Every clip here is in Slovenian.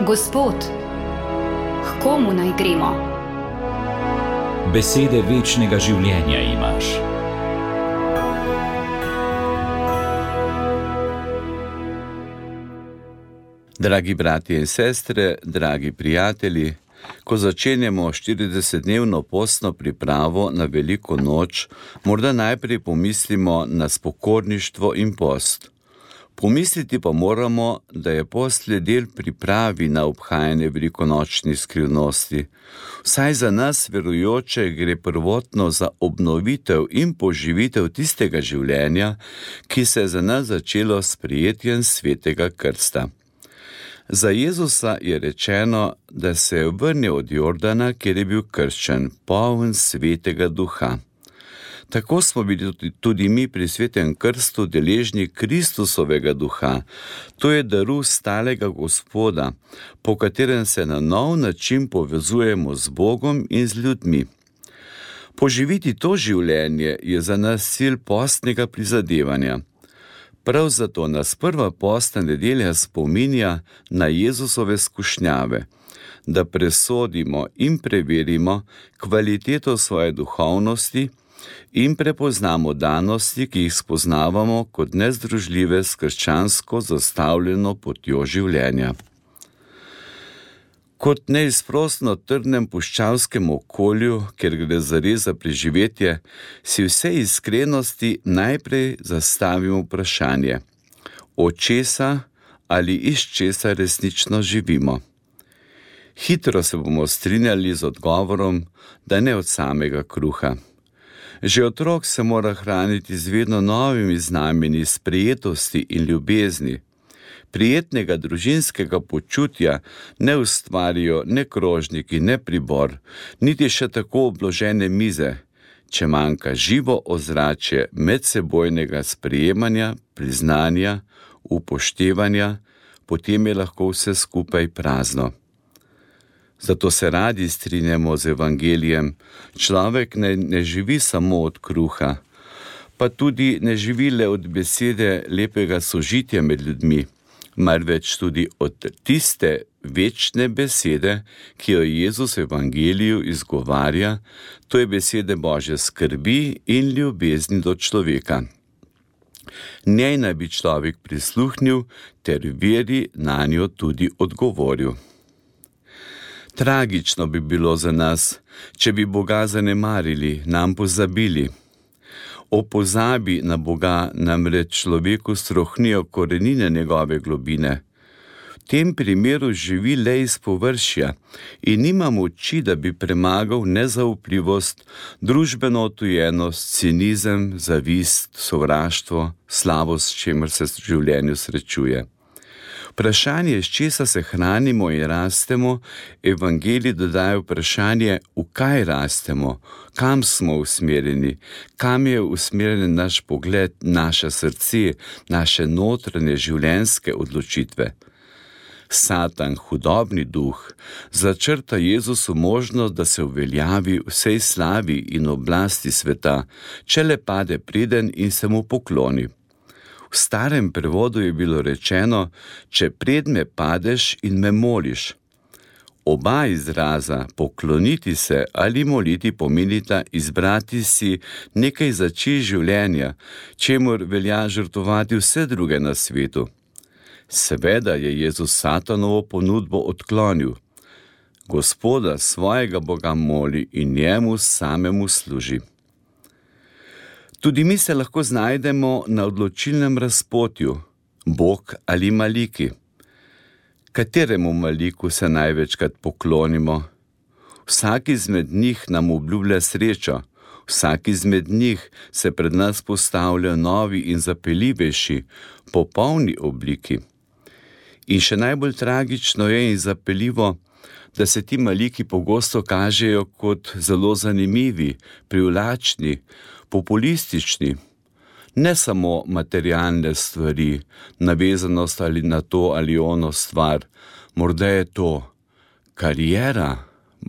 Gospod, k komu naj gremo? Besede večnega življenja imaš. Dragi bratje in sestre, dragi prijatelji, ko začenjamo 40-dnevno postno pripravo na veliko noč, morda najprej pomislimo na spokorništvo in post. Pomisliti pa moramo, da je post le del pripravi na obhajanje velikonočnih skrivnosti. Vsaj za nas verujoče gre prvotno za obnovitev in poživitev tistega življenja, ki se je za nas začelo s sprejetjem svetega krsta. Za Jezusa je rečeno, da se je vrnil od Jordana, kjer je bil krščen, poln svetega duha. Tako smo bili tudi mi pri svetem krstu deležni Kristusovega duha. To je daru stalega Gospoda, po katerem se na nov način povezujemo z Bogom in z ljudmi. Poživiti to življenje je za nas cilj postnega prizadevanja. Prav zato nas prva postna nedelja spominja na Jezusove skušnjave, da presodimo in preverimo kvaliteto svoje duhovnosti in prepoznamo danosti, ki jih spoznavamo kot nezdružljive s krščansko zastavljeno potjo življenja. Kot neizprosno trdnem puščavskem okolju, kjer gre zares za preživetje, si vse iskrenosti najprej zastavimo vprašanje, od česa ali iz česa resnično živimo. Hitro se bomo strinjali z odgovorom, da ne od samega kruha. Že otrok se mora hraniti z vedno novimi znamenji sprejetosti in ljubezni. Prijetnega družinskega počutja ne ustvarijo ne krožniki, ne pribor, niti še tako obložene mize, če manjka živo ozračje medsebojnega sprejemanja, priznanja, upoštevanja, potem je lahko vse skupaj prazno. Zato se radi strinjamo z evangelijem. Človek ne živi samo od kruha, pa tudi ne živi le od besede lepega sožitja med ljudmi, marveč tudi od tiste večne besede, ki jo Jezus v evangeliju izgovarja, to je besede Božje skrbi in ljubezni do človeka. Njej naj bi človek prisluhnil ter veri nanjo tudi odgovoril. Tragično bi bilo za nas, če bi Boga zanemarili, nam pozabili. O pozabi na Boga namreč človeku strohnijo korenine njegove globine. V tem primeru živi le iz površja in nima moči, da bi premagal nezaupljivost, družbeno odtujenost, cinizem, zavist, sovraštvo, slavost, s čemer se v življenju srečuje. Vprašanje, s česa se hranimo in rastemo, evangelij dodaja vprašanje, v kaj rastemo, kam smo usmerjeni, kam je usmerjen naš pogled, naše srce, naše notranje življenjske odločitve. Satan, hudobni duh, začrta Jezusu možnost, da se uveljavi vsej slavi in oblasti sveta, če le pade preden in se mu pokloni. V starem prevodu je bilo rečeno, če pred me padeš in me moliš. Oba izraza, pokloniti se ali moliti, pomenita izbrati si nekaj za čist življenja, čemur velja žrtvovati vse druge na svetu. Seveda je Jezus Satanovo ponudbo odklonil. Gospoda svojega Boga moli in njemu samemu služi. Tudi mi se lahko znajdemo na odločilnem razpotju, Bog ali maliki. Kateremu maliku se največkrat poklonimo? Vsak izmed njih nam obljublja srečo, vsak izmed njih se pred nas postavlja novi in zapeljivejši, popolni obliki. In še najbolj tragično je in zapeljivo, da se ti maliki pogosto kažejo kot zelo zanimivi, privlačni, populistični. Ne samo materialne stvari, navezanost ali na to ali ono stvar, morda je to kariera,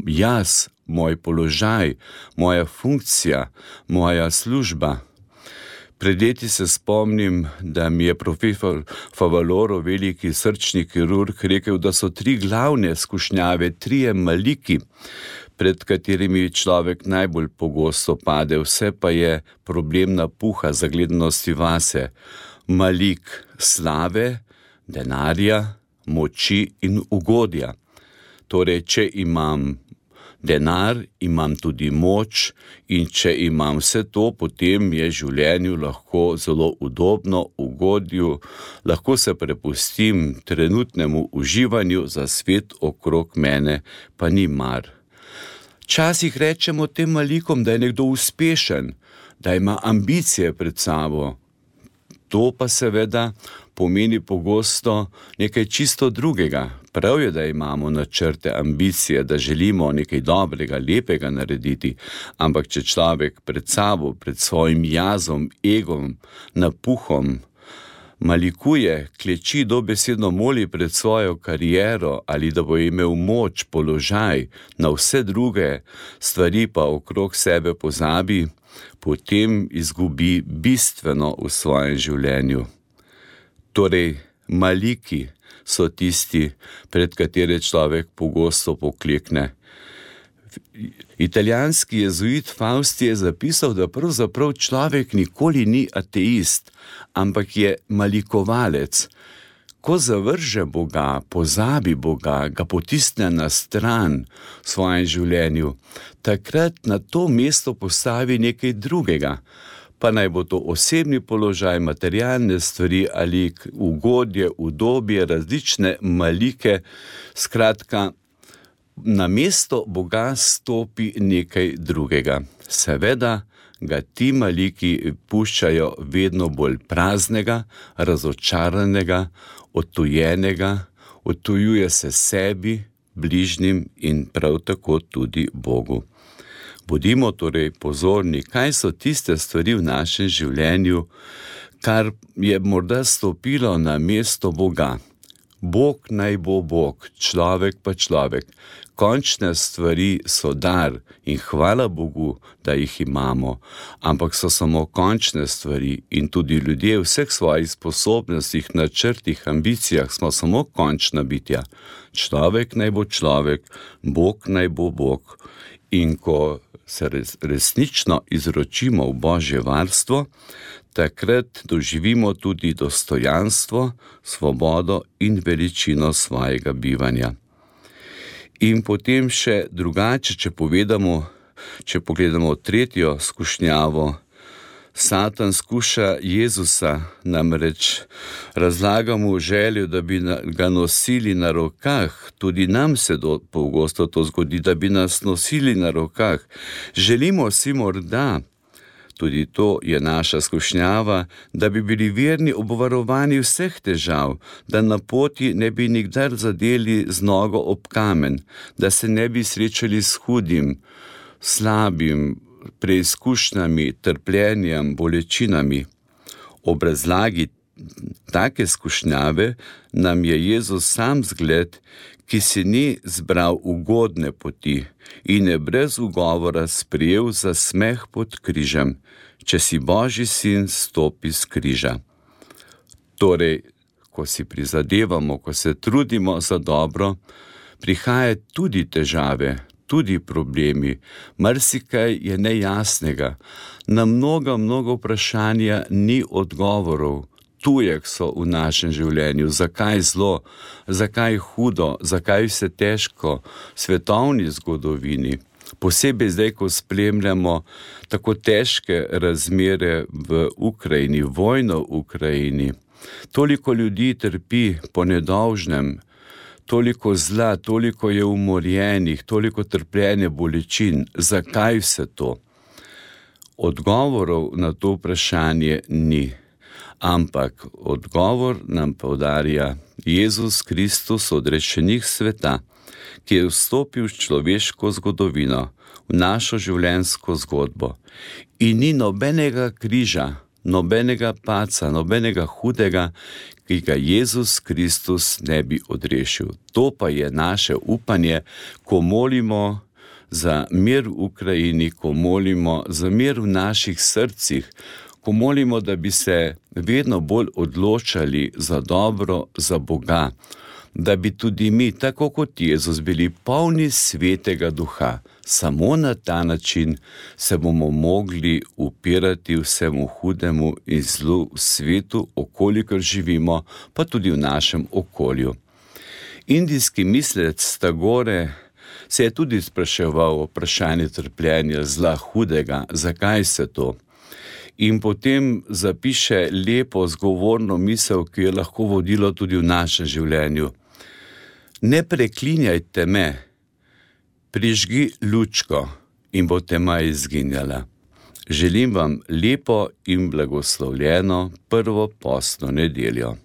jaz, moj položaj, moja funkcija, moja služba. Pred leti se spomnim, da mi je profesor Favaloro, veliki srčni kirurg, rekel, da so 3 glavne skušnjave, 3 maliki, pred katerimi človek najbolj pogosto pade. Vse pa je problem napuha, zagledanosti vase. Malik slave, denarja, moči in ugodja. Torej, če imam denar, imam tudi moč, in če imam vse to, potem je življenju lahko zelo udobno, ugodju, lahko se prepustim trenutnemu uživanju, za svet okrog mene pa ni mar. Včasih rečemo tem malikom, da je nekdo uspešen, da ima ambicije pred sabo. To pa seveda pomeni pogosto nekaj čisto drugega. Prav je, da imamo načrte, ambicije, da želimo nekaj dobrega, lepega narediti, ampak če človek pred sabo, pred svojim jazom, egom, napuhom, malikuje, kleči, dobesedno moli pred svojo kariero ali da bo imel moč, položaj, na vse druge stvari pa okrog sebe pozabi, potem izgubi bistveno v svojem življenju. Torej, maliki so tisti, pred katere človek pogosto poklekne. Italijanski jezuit Fausti je zapisal, da pravzaprav človek nikoli ni ateist, ampak je malikovalec. Ko zavrže Boga, pozabi Boga, ga potisne na stran v svojem življenju, takrat na to mesto postavi nekaj drugega, pa naj bo to osebni položaj, materialne stvari ali ugodje, udobje, različne malike. Skratka, na mesto Boga stopi nekaj drugega. Seveda ga ti maliki puščajo vedno bolj praznega, razočaranega, odtujenega, odtujuje se sebi, bližnjim in prav tako tudi Bogu. Bodimo torej pozorni, kaj so tiste stvari v našem življenju, kar je morda stopilo na mesto Boga. Bog naj bo Bog, človek pa človek. Končne stvari so dar in hvala Bogu, da jih imamo, ampak so samo končne stvari in tudi ljudje v vseh svojih sposobnostih, načrtih, ambicijah smo samo končna bitja. Človek naj bo človek, Bog naj bo Bog. In ko se resnično izročimo v Božje varstvo, takrat doživimo tudi dostojanstvo, svobodo in veličino svojega bivanja. In potem še drugače, če pogledamo 3. skušnjavo, Satan skuša Jezusa, namreč razlaga mu željo, da bi ga nosili na rokah. Tudi nam se pogosto to zgodi, da bi nas nosili na rokah. Želimo si morda, tudi to je naša skušnjava, da bi bili verni obvarovani vseh težav, da na poti ne bi nikdar zadeli z nogo ob kamen, da se ne bi srečali s hudim, slabim, preizkušnjami, trpljenjem, bolečinami. Ob razlagi take skušnjave nam je Jezus sam zgled, ki si ni zbral ugodne poti in je brez ugovora sprejel za smeh pod križem. Če si Božji sin, stopi s križa. Torej, ko si prizadevamo, ko se trudimo za dobro, prihaja tudi težave, tudi problemi, marsikaj je nejasnega, na mnoga vprašanja ni odgovorov, tujek so v našem življenju, zakaj zlo, zakaj hudo, zakaj vse težko, svetovni zgodovini. Posebej zdaj, ko spremljamo tako težke razmere v Ukrajini, vojno v Ukrajini. Toliko ljudi trpi po nedolžnem, toliko zla, toliko je umorjenih, toliko trpljenja, bolečin. Zakaj vse to? Odgovorov na to vprašanje ni, ampak odgovor nam poudarja Jezus Kristus, odrešenik sveta, ki je vstopil v človeško zgodovino, v našo življenjsko zgodbo. In ni nobenega križa, nobenega paca, nobenega hudega, ki ga Jezus Kristus ne bi odrešil. To pa je naše upanje, ko molimo za mir v Ukrajini, ko molimo za mir v naših srcih, ko molimo, da bi se vedno bolj odločali za dobro, za Boga, da bi tudi mi, tako kot Jezus, bili polni Svetega Duha. Samo na ta način se bomo mogli upirati vsemu hudemu in zlu v svetu, okolikor živimo, pa tudi v našem okolju. Indijski mislec Tagore se je tudi spraševal o vprašanju trpljenja, zla, hudega, zakaj se to. In potem zapiše lepo, zgovorno misel, ki je lahko vodilo tudi v našem življenju. Ne preklinjajte me, prižgi lučko in bo tema izginjala. Želim vam lepo in blagoslovljeno prvo postno nedeljo.